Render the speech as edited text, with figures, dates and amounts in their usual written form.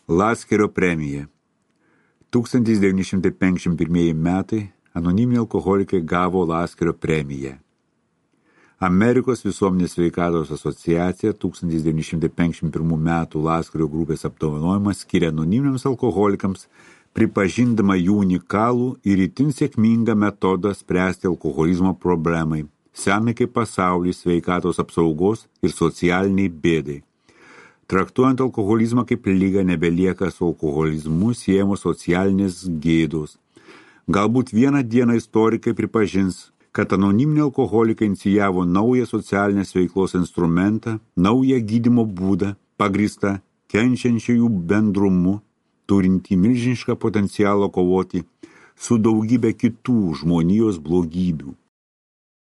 Laskerio premija. 1951 metai anoniminiai alkoholikai gavo Laskerio premiją. Amerikos visuomenės sveikatos asociacija 1951 metų Laskerio grupės apdovanojimą skiria anoniminiams alkoholikams, pripažindama jų unikalų ir itin sėkmingą metodą spręsti alkoholizmo problemai, senai kaip pasaulį sveikatos apsaugos ir socialiniai bėdai. Traktuojant alkoholizmą kaip ligą nebelieka su alkoholizmu siejamos socialinės gėdos. Galbūt vieną dieną istorikai pripažins, kad anoniminiai alkoholikai inicijavo naują socialinės veiklos instrumentą, naują gydymo būdą, pagrįstą kenčiančiųjų bendrumu, turintį milžinišką potencialą kovoti su daugybė kitų žmonijos blogybių.